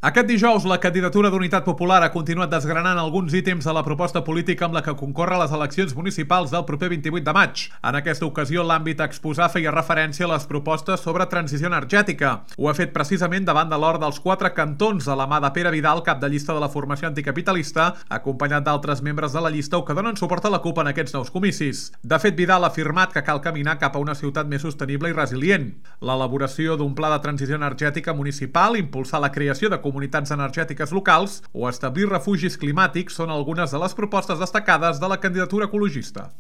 Aquest dijous, la candidatura d'Unitat Popular ha continuat desgranant alguns ítems de la proposta política amb la que concorre a les eleccions municipals del proper 28 de maig. En aquesta ocasió, l'àmbit a exposar feia referència a les propostes sobre transició energètica. Ho ha fet precisament davant de l'hora dels 4 cantons de la mà de Pere Vidal, cap de llista de la formació anticapitalista, acompanyat d'altres membres de la llista o que donen suport a la CUP en aquests nous comicis. De fet, Vidal ha afirmat que cal caminar cap a una ciutat més sostenible i resilient. L'elaboració d'un pla de transició energètica municipal, impulsar la creació de comunitats energètiques locals o establir refugis climàtics són algunes de les propostes destacades de la candidatura ecologista.